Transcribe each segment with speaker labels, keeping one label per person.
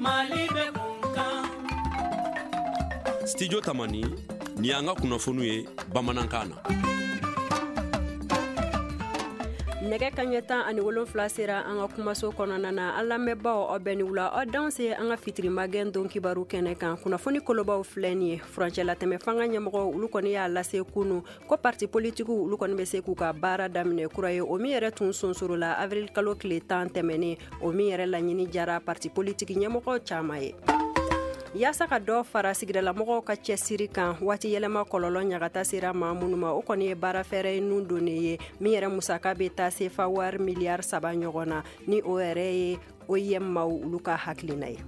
Speaker 1: Mali bɛ kun kan.
Speaker 2: Studio Tamani, nin y'an ka kunnafoniw ye bamanankan na.
Speaker 3: Nɛgɛ kaɲɛ 17 sera an ka kumaso kɔnɔna na. An lamɛnbaaw, aw bɛɛ ni wula, aw danse an ka fitiri magɛn don kibaru kɛnɛ kan. Kunnafoni kolobaw filɛ nin ye. Furancɛlatɛmɛ fanga ɲɛmɔgɔ, olu kɔni y'a lase kunu ko parti politikiw, olu kɔni bɛ se k'u ka baara daminɛ kura ye, o min yɛrɛ tun sonsoro la avril kalo tile 10 tɛmɛnen, o min yɛrɛ laɲini jara parti politiki ɲɛmɔgɔ caman ye. Yaasa ka dɔ fara sigidalamɔgɔw ka cɛsiri kan waati yɛlɛma kɔlɔlɔ ɲagata sera maa minnu ma, o kɔni ye baara fɛɛrɛ nun donnen ye min yɛrɛ musaka bɛ taa sefa wari miliyari 3 ɲɔgɔn na, ni o yɛrɛ ye OIM maaw olu ka hakilina ye.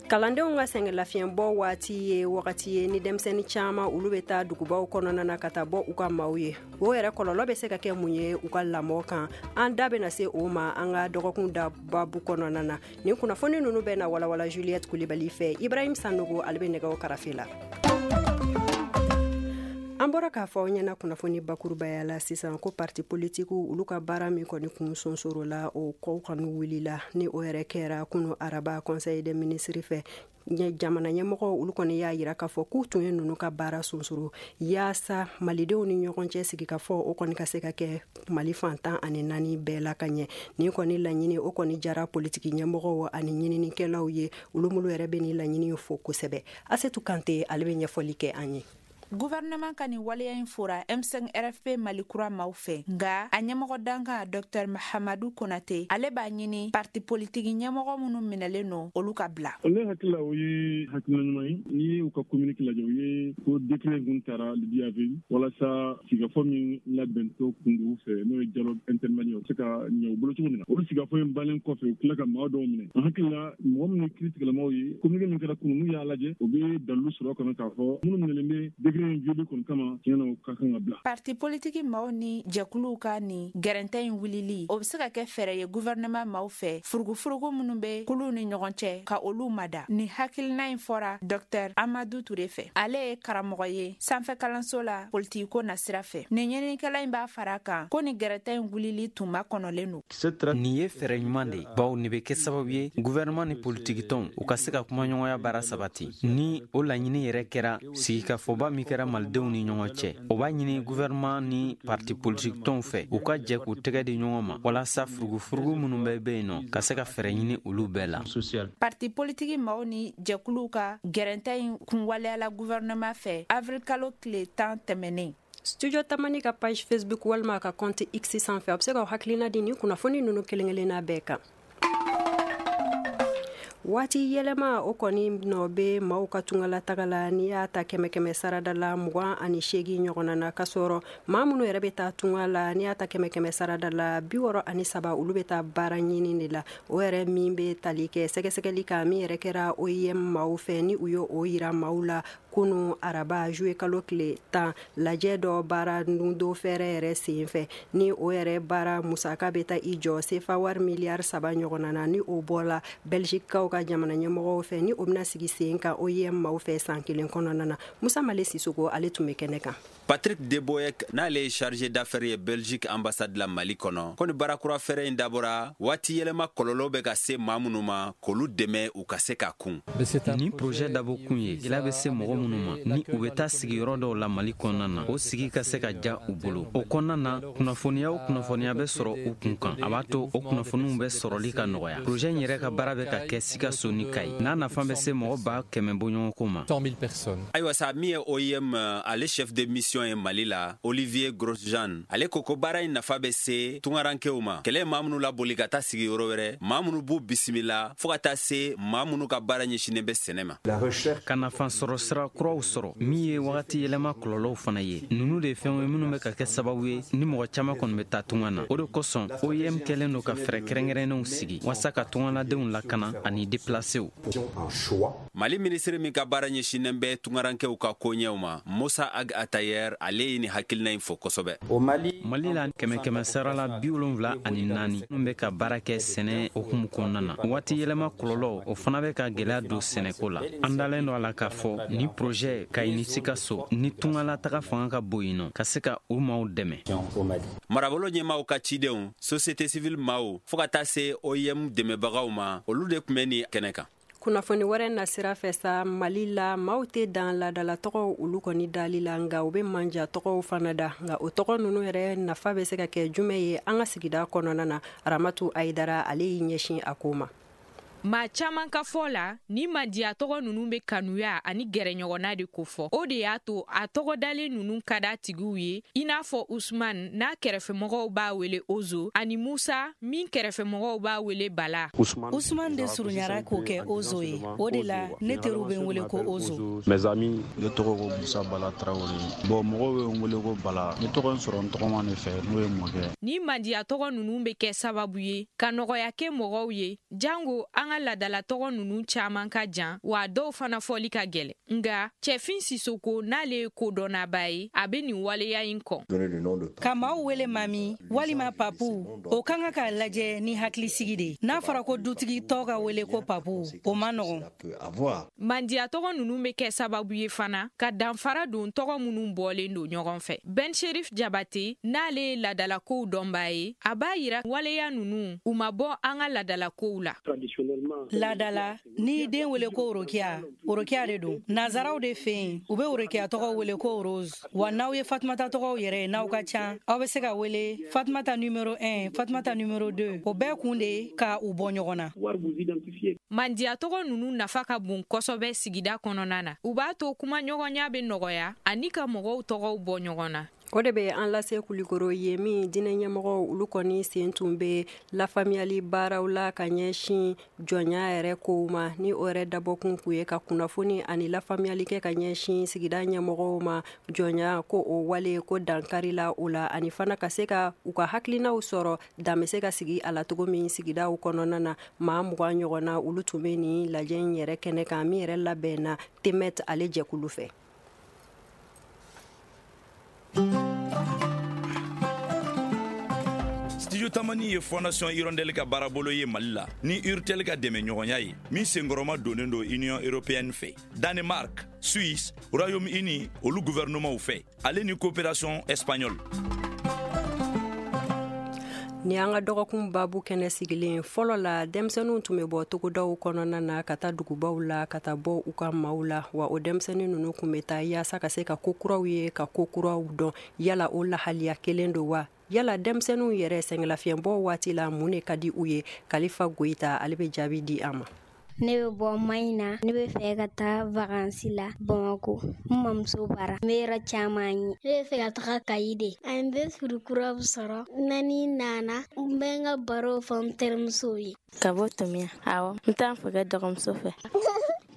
Speaker 3: Kalandenw ka sɛgɛnlafiɲɛbɔ waati ye wagati ye ni denmisɛnnin caman olu bɛ taa dugubaw kɔnɔna na ka taa bɔ u ka maaw ye. O yɛrɛ kɔlɔlɔ bɛ se ka kɛ mun ye u ka lamɔ kan? An da bɛna se o ma an ka dɔgɔkun da babu kɔnɔna na. Nin kunnafoni ninnu bɛ na walawala Juliette Kulibali fɛ. Ibrahim Sanogo, ale bɛ nɛgɛw karafe la. An bɔra k'a fɔ aw ɲɛna kunnafoni bakurubaya la sisan ko parti politikiw, olu ka baara min kɔni kun sonsoro la, o kɔw kɔni wulila, ni o yɛrɛ kɛra kunu araba conseil des ministres fɛ. Jamana ɲɛmɔgɔ, olu kɔni y'a yira k'a fɔ k'u tun ye ninnu ka baara sonsoro yaasa malidenw ni ɲɔgɔn cɛ sigi ka fɔ, o kɔni ka se ka kɛ Mali fan 14 bɛɛ la ka ɲɛ. Nin kɔni laɲini, o kɔni jara politiki ɲɛmɔgɔw ani ɲininikɛlaw ye, olu minnu yɛrɛ bɛ nin laɲini fo kosɛbɛ. Asetu Kante, ale bɛ ɲɛfɔli kɛ an ye.
Speaker 4: Gouvernement ka nin waleya in fora M5 RFP Mali kura maaw fɛ, nga a ɲɛmɔgɔ dankan Dr Mahamadu Konate, ale b'a ɲini parti politiki ɲɛmɔgɔ minnu minɛlen no, olu ka bila.
Speaker 5: Ne hakili la, o ye hakilina ɲuman ye. N'i ye u ka communiqué lajɛ, u ye ko décret kun tara le 10 avril walasa sigikafɔ min labɛntɔ kun don u fɛ, n'o ye dialogue intermalien, o se ka ɲɛ u bolo cogo min na. Olu sigikafɔ in bannen kɔfɛ, u tila ka maa dɔw minɛ. An hakili la, mɔgɔ minnu ye kiiri tigɛlamaw ye, communiqué min kɛra kunun, n'u y'a lajɛ, u bɛ dalilu sɔrɔ kɔnɔ k'a fɔ minnu minɛlen bɛ décret in violé kɔni kama, tiɲɛ na, u ka kan ka bila.
Speaker 4: Parti politiki maaw ni jɛkuluw ka nin gɛrɛntɛ in wulili, o be se ka kɛ fɛɛrɛ ye gouvernement maaw fɛ furugufurugu minnu be kuluw ni ɲɔgɔn cɛ, ka olu mada. Nin hakilina in fɔra Dr Amadu Ture fɛ. Ale ye karamɔgɔ ye sanfɛ kalanso la politikiko nasira fɛ. Nin ɲininikɛla in b'a fara kan ko nin gɛrɛntɛ in wulili tun makɔnɔlen don.
Speaker 6: Nin ye fɛɛrɛ ɲuman de ye, bawo nin bɛ kɛ sababu ye gouvernement ni politikitɔnw, u ka se ka kumaɲɔgɔnya baara sabati. Ni o laɲini yɛrɛ kɛra, sigikafɔba min kɛra malidenw ni ɲɔgɔn cɛ, o b'a ɲini gouvernement ni parti politikitɔnw fɛ, u ka jɛ k'u tɛgɛ di ɲɔgɔn ma walasa furugufurugu minnu bɛ bɛ yen nɔ, ka se ka fɛɛrɛ ɲini olu bɛɛ la.
Speaker 4: Parti politiki maaw ni jɛkuluw ka gɛrɛntɛ in kun waleyala gouvernement fɛ avril kalo tile 10 tɛmɛnen.
Speaker 3: Studio Tamani ka page Facebook walima ka compte X sanfɛ, a bɛ se ka hakilina di ni kunnafoni ninnu kelen kelenna bɛɛ kan. Waati yɛlɛma, o kɔni nɔ bɛ maaw ka tungala taga la. N'i y'a ta kɛmɛ kɛmɛ sarada la, 28 ɲɔgɔnna na, ka sɔrɔ maa minnu yɛrɛ bɛ taa tunga la, n'i y'a ta kɛmɛ kɛmɛ sarada la, 63, olu bɛ taa baara ɲini de la. O yɛrɛ min bɛ tali kɛ sɛgɛsɛgɛli kan min yɛrɛ kɛra OIM maaw fɛ, ni u ye o yira maaw la kunu araba juillet kalo tile 10, lajɛ dɔ baara nundo fɛɛrɛ yɛrɛ sen fɛ, ni o yɛrɛ baara musaka bɛ taa i jɔ sefa wari miliyari 3 ɲɔgɔnna na, ni o bɔla Belgiquekaw ka jamana ɲɛmɔgɔw fɛ, ni o bɛna sigi sen kan OIM maaw fɛ san kelen kɔnɔna na. Musa Male Sisoko, ale tun bɛ kɛnɛ kan.
Speaker 7: Patrick Deboek, n'ale ye chargé d'affaires ye Belgique ambassade la Mali kɔnɔ, ko ni baarakura fɛɛrɛ in dabɔra waati yɛlɛma kɔlɔlɔ bɛ ka se maa minnu ma, k'olu dɛmɛ u ka se ka kun.
Speaker 6: Nin projet dabɔ kun ye gɛlɛya bɛ se mɔgɔ minnu ma ni u bɛ taa sigiyɔrɔ dɔw la Mali kɔnɔna na, o sigi ka se ka ja u bolo. O kɔnɔna na, kunnafoniya o kunnafoniya bɛ sɔrɔ u kun kan, a b'a to o kunnafoniw bɛ sɔrɔli ka nɔgɔya. Projet in yɛrɛ ka baara bɛ ka kɛ Sikaso ni Kayi, n'a nafa bɛ se mɔgɔ 100 000 bɔɲɔgɔnko ma.
Speaker 7: Ayiwa sa, min ye OIM ale chef de mission ye Mali la, Olivier Grosjean, ale ko ko baara in nafa bɛ se tungarankew ma, kɛlɛ maa minnu laboli ka taa sigi yɔrɔ wɛrɛ, maa minnu b'u bisimila, fɔɔ ka taa se maa minnu ka baara ɲɛsinnen bɛ sɛnɛ ma.
Speaker 6: Ka nafa sɔrɔ sira kuraw sɔrɔ min ye wagati yɛlɛma kɔlɔlɔw fana ye, ninnu de ye fɛnw ye minnu bɛ ka kɛ sababu ye ni mɔgɔ caman kɔni bɛ taa tunga na. O de kosɔn OIM kɛlen don ka fɛɛrɛ kɛrɛnkɛrɛnnenw sigi walasa ka tungaladenw lakana ani déplacéw.
Speaker 7: Mali minisiri min ka baara ɲɛsinnen bɛ tungarankew ka koɲɛw ma, Musa Ag Atayer, ale ye nin hakilina in fo kosɛbɛ.
Speaker 6: Mali la, kɛmɛ kɛmɛ sara la, 74 minnu bɛ ka baara kɛ sɛnɛ hukumu kɔnɔna na, waati yɛlɛma kɔlɔlɔ, o fana bɛ ka gɛlɛya don sɛnɛko la. An dalen don a la k'a fɔ ni Projet Kayi ni Sikaso ni tungalataga fanga ka bon yen nɔ, ka se ka u maaw dɛmɛ.
Speaker 7: Marabolo ɲɛmaaw ka cidenw, société civile maaw, fɔɔ ka taa se OIM dɛmɛbagaw ma, olu de tun bɛ nin kɛnɛ kan.
Speaker 3: Kunnafoni wɛrɛ nasira fɛ sa, Mali la, maaw tɛ dan laadala tɔgɔw olu kɔni dali la, nka u bɛ manja tɔgɔw fana da. Nka o tɔgɔ ninnu yɛrɛ nafa bɛ se ka kɛ jumɛn ye an ka sigida kɔnɔna na? Ramatu Ayidara, ale y'i ɲɛsin a ko ma.
Speaker 4: Maa caman ka fɔ la, ni mandiya tɔgɔ ninnu bɛ kanuya ani gɛrɛɲɔgɔnna de kofɔ. O de y'a to a tɔgɔ dalen ninnu ka d'a tigiw ye, i n'a fɔ Usman n'a kɛrɛfɛmɔgɔw b'a wele Ozo, ani Musa min kɛrɛfɛmɔgɔw b'a wele Bala.
Speaker 8: Usman de surunyara k'o kɛ Ozo ye. O de la ne teriw bɛ n wele ko Ozo.
Speaker 9: Mes amis, ne tɔgɔ ko Musa Bala Tarawele. Bon, mɔgɔw bɛ n wele ko Bala. Ne tɔgɔ in sɔrɔ n tɔgɔma de fɛ, n'o ye mɔkɛ.
Speaker 4: Ni mandiya tɔgɔ ninnu bɛ kɛ sababu ye ka nɔgɔya kɛ mɔgɔw ye, jango an ka ladala tɔgɔ ninnu caman ka jan, wa dɔw fana fɔli ka gɛlɛn. Nka Cɛfin Sisoko, n'ale ye kodɔnnaba ye, a bɛ nin waleya in kɔn.
Speaker 8: Ka maaw wele mami walima papu, o ka kan ka lajɛ ni hakilisigi de. N'a fɔra ko dutigi tɔ ka wele ko papu, o man nɔgɔn.
Speaker 4: Mandiya tɔgɔ ninnu bɛ kɛ sababu ye fana ka danfara don tɔgɔ minnu bɔlen don ɲɔgɔn fɛ. Ben Sherif Jabate, n'ale ye ladalakow dɔnbaa ye, a b'a yira waleya ninnu u ma bɔ an ka ladalakow la.
Speaker 8: Laadala, n'i den wele ko Orokiya, Orokiya de don. Nazaraw de fɛ yen, u bɛ Orokiya tɔgɔ wele ko Rose. Wa n'aw ye Fatumata tɔgɔw yɛrɛ ye, n'aw ka ca, aw bɛ se ka wele Fatumata numéro 1, Fatumata numéro 2. O bɛɛ kun de ka u bɔ ɲɔgɔn na.
Speaker 4: Mandiya tɔgɔ ninnu nafa ka bon kosɛbɛ sigida kɔnɔna na. U b'a to kumaɲɔgɔnya bɛ nɔgɔya ani ka mɔgɔw tɔgɔw bɔ ɲɔgɔn na.
Speaker 3: O de bɛ an lase Kulikoro ye min diinɛ ɲɛmɔgɔw olu kɔni sen tun bɛ lafaamuyali baaraw la ka ɲɛsin jɔnya yɛrɛ kow ma, ni o yɛrɛ dabɔkun kun ye ka kunnafoni ani lafaamuyali kɛ ka ɲɛsin sigida ɲɛmɔgɔw ma jɔnya ko o wale ko dankari la o la, ani fana ka se ka u ka hakilinaw sɔrɔ dan bɛ se ka sigi a la cogo min sigidaw kɔnɔna na. Maa 20 ɲɔgɔnna olu tun bɛ nin lajɛ in yɛrɛ kɛnɛ kan min yɛrɛ labɛnna Temet ale jɛkulu fɛ.
Speaker 10: Studio Tamani ye Fondation Hirondelle ka baarabolo ye Mali la ni Urtel ka dɛmɛɲɔgɔnya ye min senkɔrɔma donnen don Union européenne fɛ, Danemark, Suisse, Royaume-Uni olu gouvernementw fɛ, ale ni coopération espagnole.
Speaker 3: Ni an ka dɔgɔkun babu kɛnɛ sigilen, fɔlɔ la denmisɛnninw tun bɛ bɔ togodaw kɔnɔna na ka taa dugubaw la ka taa bɔ u ka maaw la, wa o denmisɛnnin ninnu tun bɛ taa yaasa ka se ka ko kuraw ye, ka ko kuraw dɔn. Yala o lahaliya kelen don wa? Yala denmisɛnninw yɛrɛ sɛgɛnlafiɲɛbɔ waati la mun de ka di u ye? Kalifa Goyita, ale bɛ jaabi di an ma.
Speaker 11: Ne bɛ bɔ Maɲina, ne bɛ fɛ ka taa vacances la Bamakɔ, n mamuso bara, n bɛ yɔrɔ caman ye. Ne bɛ fɛ ka taga Kayi de, an bɛ furu kuraw sɔrɔ. Nani nana, n bɛ n ka barow fɔ n terimusow ye.
Speaker 12: Ka bɔ Tomiya, awɔ, n t'an fɛ kɛ dɔgɔmuso fɛ.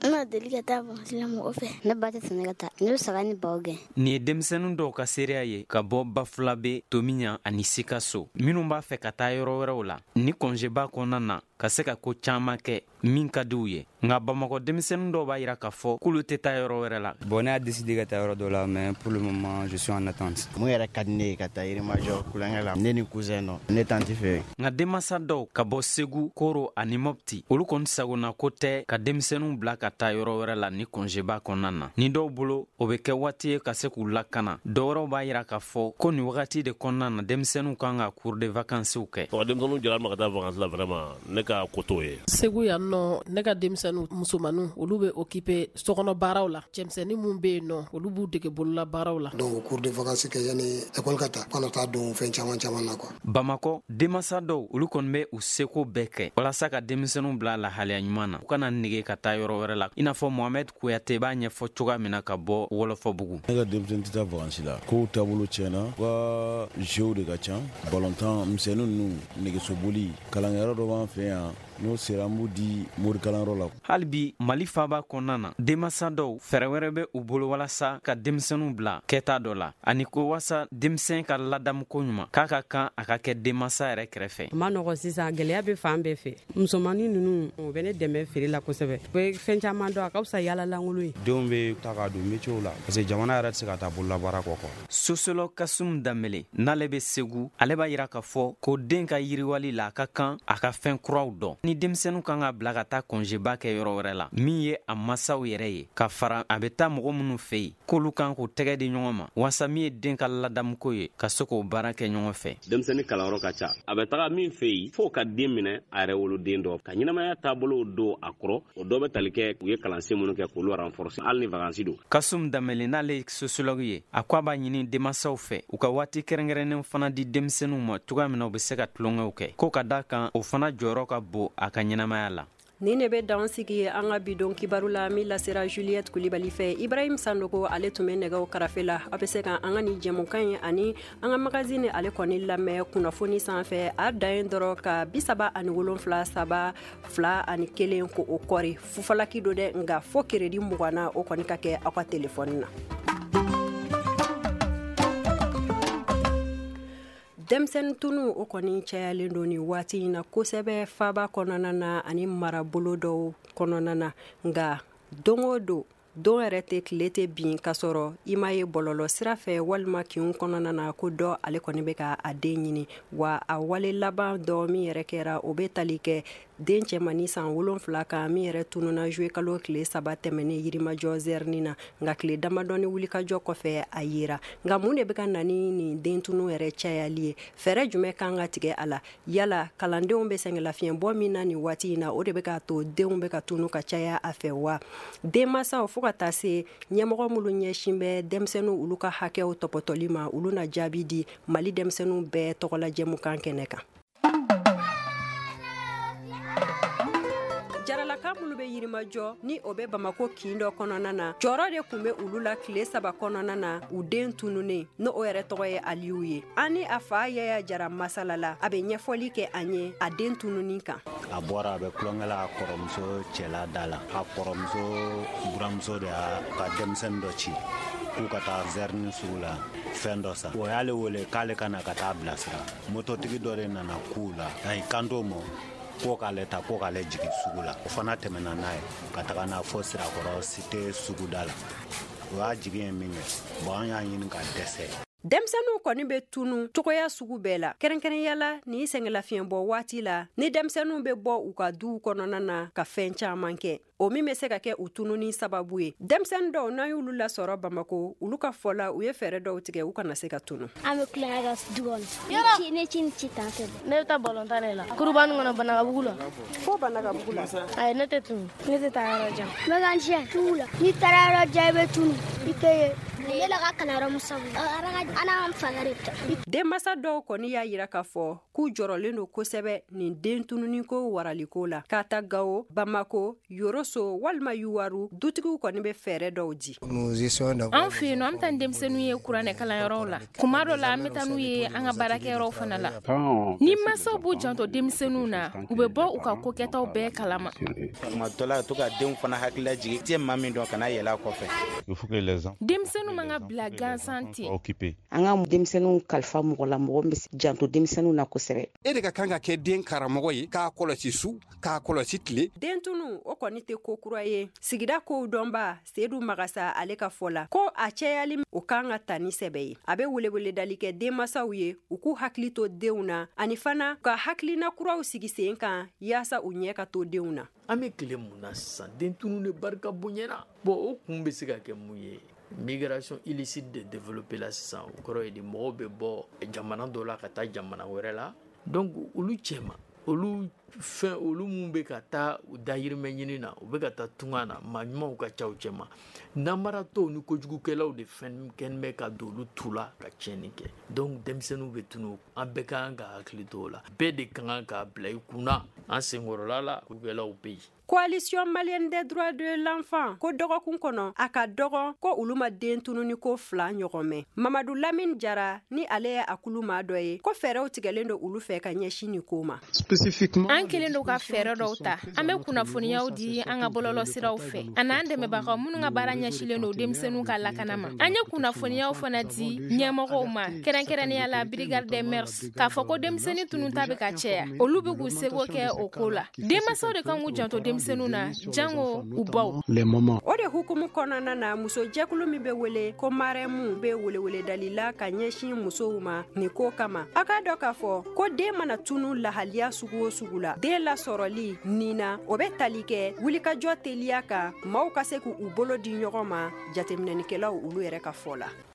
Speaker 11: N ma deli ka taa vacances la mɔgɔ fɛ. Ne ba tɛ sɔn ne ka taa. Ne bɛ saga ni baw gɛn.
Speaker 6: Nin ye denmisɛnnin dɔw ka seereya ye ka bɔ Bafulabe, Tomiɲan ani Sikaso, minnu b'a fɛ ka taa yɔrɔ wɛrɛw la ni kɔnjeba kɔnɔna na ka se ka ko caman kɛ min ka di u ye. Nka Bamakɔ denmisɛnnin dɔw b'a yira k'a fɔ k'olu tɛ taa yɔrɔ wɛrɛ la.
Speaker 13: Bon, ne y'a décidé ka taa yɔrɔ dɔ la, mais pour le moment je suis en attente.
Speaker 14: Mun yɛrɛ ka di ne ye ka taa Yirimajɔ kulonkɛ la, ne ni cousin dɔ, ne tanti fɛ.
Speaker 6: Nka denmansa dɔw ka bɔ Segu, Koro ani Mopti, olu kɔni sagona ko tɛ ka denmisɛnninw bila ka taa yɔrɔ wɛrɛ la ni kɔnjeba kɔnɔna na. Ni dɔw bolo, o bɛ kɛ waati ye ka se k'u lakana. Dɔw wɛrɛw b'a yira k'a fɔ ko nin wagati de kɔnɔna na denmisɛnninw kan ka cours de vacances kɛ.
Speaker 15: Denmisɛnninw jɛra ma ka taa vacances la, vraiment ne ka ko t'o ye.
Speaker 16: Segu yan nɔ, ne ka denmisɛnninw musomaninw olu bɛ occuper sokɔnɔ baaraw la. Cɛmisɛnnin mun bɛ yen nɔ, olu b'u dege bolola baaraw la.
Speaker 17: Donc cours de vacances kɛ yanni école ka ta, kana taa don fɛn caman caman na quoi.
Speaker 6: Bamakɔ denmansa dɔw olu kɔni bɛ u seko bɛɛ kɛ walasa ka denmisɛnninw bila lahalaya ɲuman na, u kana nege ka taa yɔrɔ wɛrɛ la, i n'a fɔ Mohamed Kuyate b'a ɲɛfɔ cogoya min na ka bɔ Wɔlɔfɔbugu.
Speaker 18: Ne ka denmisɛnnin tɛ taa vacances la, kow taabolo tiɲɛna, u ka jeux de ka ca, ballontan misɛnnin ninnu, nɛgɛsoboli, kalankɛyɔrɔ dɔ b'an fɛ yan, n'o sera an b'u di morikalanyɔrɔ la.
Speaker 6: Hali bi Mali faaba kɔnɔna na, denmansa dɔw fɛɛrɛ wɛrɛ bɛ u bolo walasa ka denmisɛnninw bila kɛta dɔ la, ani ko walasa denmisɛn ka ladamuko ɲuman k'a ka kan a ka kɛ denmansa yɛrɛ kɛrɛfɛ.
Speaker 19: A ma nɔgɔ sisan, gɛlɛya bɛ fan bɛɛ fɛ. Musomanin ninnu, u bɛ ne dɛmɛ feere la kosɛbɛ. U bɛ fɛn caman dɔn, a ka fisa yaala lankolon ye.
Speaker 13: Denw bɛ ta ka don métier la, parce que jamana yɛrɛ tɛ se ka taa bololabaara kɔ quoi.
Speaker 6: Sociologue Kasum Danbele, n'ale bɛ Segu, ale b'a yira k'a fɔ ko den ka yiriwali la a ka kan a ka fɛn kuraw dɔn. ni denmisɛnninw kan ka bila ka taa kɔnzeba kɛ yɔrɔ wɛrɛ la, min ye a masaw yɛrɛ ye, ka fara a bɛ taa mɔgɔ minnu fɛ yen, k'olu kan k'u tɛgɛ di ɲɔgɔn ma waasa min ye den ka ladamuko ye, ka se k'o baara kɛ ɲɔgɔn fɛ.
Speaker 20: Denmisɛnnin kalanyɔrɔ ka ca, a bɛ taga min fɛ yen, f'o ka den minɛ a yɛrɛ woloden dɔ ka ɲɛnamaya taabolow don a kɔrɔ. O dɔ bɛ tali kɛ u ye kalansen minnu kɛ k'olu renforcer, hali ni vacances don.
Speaker 6: Kasum Danbele, n'ale ye sociologue ye, a ko a b'a ɲini denmansaw fɛ u ka waati kɛrɛnkɛrɛnnen fana di denmisɛnninw ma cogoya min na u bɛ se ka tulonkɛw kɛ, ko ka da kan o fana jɔyɔrɔ ka bon a ka ɲɛnamaya la.
Speaker 3: Nin de bɛ dan sigi an ka bidon kibaru la min lasera Juliette Kulibali fɛ. Ibrahim Sanogo, ale tun bɛ nɛgɛw karafe la. Aw bɛ se ka an ka nin jɛmukan ye ani an ka magazine ale kɔni lamɛn kunnafoni sanfɛ. A dan ye dɔrɔn ka 37 3 2 1 ko o kɔri fufalaki don dɛ, nka fo crédit 20 na o kɔni ka kɛ aw ka telefɔni na. Denmisɛnnin tunu o kɔni cayalen don nin waati in na kosɛbɛ faba kɔnɔna na ani marabolo dɔw kɔnɔna na, nka don o don, don yɛrɛ tɛ tile tɛ bin ka sɔrɔ i m'a ye bɔlɔlɔ sira fɛ walima kinw kɔnɔna na ko dɔ ale kɔni bɛ ka a den ɲini. Wa a wale laban dɔ min yɛrɛ kɛra, o bɛ tali kɛ den cɛmannin san 7 kan min yɛrɛ tununa juillet kalo tile 3 tɛmɛnen Yirimajɔ zɛrini na, nka tile damadɔni wulikajɔ kɔfɛ a yera. Nka mun de bɛ ka na ni nin den tunu yɛrɛ cayali ye? Fɛɛrɛ jumɛn kan ka tigɛ a la? Yala kalandenw bɛ sɛgɛnlafiɲɛbɔ min na nin waati in na, o de bɛ k'a to denw bɛ ka tunu ka caya a fɛ wa? Denmansaw fo ka taa se ɲɛmɔgɔ minnu ɲɛsin bɛ denmisɛnninw olu ka hakɛw tɔpɔtɔli ma, olu na jaabi di Mali denmisɛnninw bɛɛ tɔgɔla jɛmukan kɛnɛ kan. Jaralaka minnu bɛ Yirimajɔ ni o bɛ Bamako kin dɔ kɔnɔna na, jɔyɔrɔ de tun bɛ olu la tile 3 kɔnɔna na u den tununnen, n'o o yɛrɛ tɔgɔ ye Aliyu ye. An ni a fa Yaya Jara masala la, a bɛ ɲɛfɔli kɛ an ye a den tununi kan.
Speaker 21: A bɔra, a bɛ tulonkɛ la a kɔrɔmuso cɛla da la. A kɔrɔmuso buramuso de y'a ka denmisɛnnin dɔ ci k'u ka taa zɛrini sugu la fɛn dɔ san. O y'ale wele k'ale ka na ka taa bilasira. Mototigi dɔ de nana k'u la, a y'i kanto ma ko k'ale ta, ko k'ale jigin sugu la. O fana tɛmɛna n'a ye ka taga n'a fɔ Sirakɔrɔ cité suguda la. O y'a jigin ye min kɛ, bon, an y'a ɲini ka dɛsɛ.
Speaker 3: Denmisɛnninw kɔni bɛ tunu cogoya sugu bɛɛ la, kɛrɛnkɛrɛnya la nin sɛgɛnlafiɲɛbɔ waati la, ni denmisɛnninw bɛ bɔ u ka duw kɔnɔna na ka fɛn caman kɛ, o min bɛ se ka kɛ u tununi sababu ye. Denmisɛnnin dɔw, n'an y'olu lasɔrɔ Bamako, olu ka fɔ la, u ye fɛɛrɛ dɔw tigɛ u kana se ka tunu.
Speaker 11: An bɛ tulonkɛ kɛ du kɔnɔ. Ne ci ni ci tan tɛ.
Speaker 12: Ne bɛ taa balontan de la. Kurubani kɔnɔ Banakabugu la.
Speaker 3: Fo Banakabugu la.
Speaker 12: Ayi, ne tɛ tunu.
Speaker 11: Ne tɛ taa yɔrɔ jan. N bɛ ka n siɲɛ sugu la. N'i taara yɔrɔ jan, i bɛ tunu. I tɛ ye. Ne la ka kalanyɔrɔ mun sabu. An fa de bɛ.
Speaker 3: Denmansa dɔw kɔni y'a yira k'a fɔ k'u jɔrɔlen don kosɛbɛ nin den tununiko waraliko la. K'a ta Gawo, Bamako, Yoroso walima Yuwaru, dutigiw kɔni bɛ fɛɛrɛ dɔw di.
Speaker 22: An fɛ yen nɔ, an bɛ taa ni denmisɛnninw ye kuranɛ kalanyɔrɔw la. Kuma dɔ la, an bɛ taa n'u ye an ka baarakɛyɔrɔw fana la. Ni mansaw b'u janto denmisɛnninw na, u bɛ bɔ u ka kokɛtaw bɛɛ kalama.
Speaker 23: Tuma dɔ la, to ka denw fana hakili lajigin. I tɛ maa min dɔn, kana yɛlɛ a kɔfɛ.
Speaker 22: Denmisɛnninw man ka bila gansan ten.
Speaker 24: An ka denmisɛnninw kalifa mɔgɔ la, mɔgɔ min bɛ janto denmisɛnninw na kosɛbɛ.
Speaker 25: E de ka kan ka kɛ den karamɔgɔ ye, k'a kɔlɔsi su, k'a kɔlɔsi tile.
Speaker 3: Den tunu o kɔni tɛ ko kura ye. Sigida kow dɔnba Sedu Magasa, ale ka fɔ la ko a cayali o kan ka ta ni sɛbɛ ye. A bɛ weleweledali kɛ denmansaw ye u k'u hakili to denw na, ani fana ka hakilina kuraw sigi sen kan yaasa u ɲɛ ka to denw na.
Speaker 26: An bɛ tile mun na sisan, den tunu de barika bonyana. Bon, o kun bɛ se ka kɛ mun ye? Migration illicite de développé la sisan, o kɔrɔ ye di, mɔgɔw bɛ bɔ jamana dɔ la ka taa jamana wɛrɛ la. Donc olu cɛma, olu fɛn, olu mun bɛ ka taa u dahirimɛ ɲini na, u bɛ ka taa tunga na, maa ɲumanw ka ca u cɛma. Namaratɔw ni kojugukɛlaw de fɛn kɛn bɛ ka don olu tu la ka tiɲɛni kɛ. Donc denmisɛnninw bɛ tunu, an bɛɛ ka kan ka hakili to o la. Bɛɛ de ka kan k'a bila i kunna, an senkɔrɔla la, kojugukɛlaw bɛ yen.
Speaker 3: Coalition malienne des droits de l'enfant ko dɔgɔkun kɔnɔ a ka dɔgɔ ko olu ma den tununi ko 2 ɲɔgɔn mɛn. Mamadu Lamine Jara, ni ale ye a kulu maa dɔ ye, ko fɛɛrɛw tigɛlen don olu fɛ ka ɲɛsin nin ko ma.
Speaker 22: An kɛlen don ka fɛɛrɛ dɔw ta. An bɛ kunnafoniyaw di an ka bɔlɔlɔ siraw fɛ, a n'an dɛmɛbagaw minnu ka baara ɲɛsilen don denmisɛnninw ka lakana ma. An ye kunnafoniyaw fana di ɲɛmɔgɔw ma, kɛrɛnkɛrɛnnenya la brigade des mœurs, k'a fɔ ko denmisɛnnin tununta bɛ ka caya. Olu bɛ k'u seko kɛ o ko la. Denmansaw de kan k'u janto denmisɛnninw na, jango u baw.
Speaker 3: O de hukumu kɔnɔna na, musojɛkulu min bɛ wele ko Marɛmu bɛ weleweledali la ka ɲɛsin musow ma nin ko kama. A k'a dɔn k'a fɔ ko den mana tunu lahaliya sugu o sugu la, den lasɔrɔli nin na, o bɛ tali kɛ wulikajɔ teliya kan, maaw ka se k'u bolo di ɲɔgɔn ma, jateminɛnikɛlaw olu yɛrɛ ka fɔ la.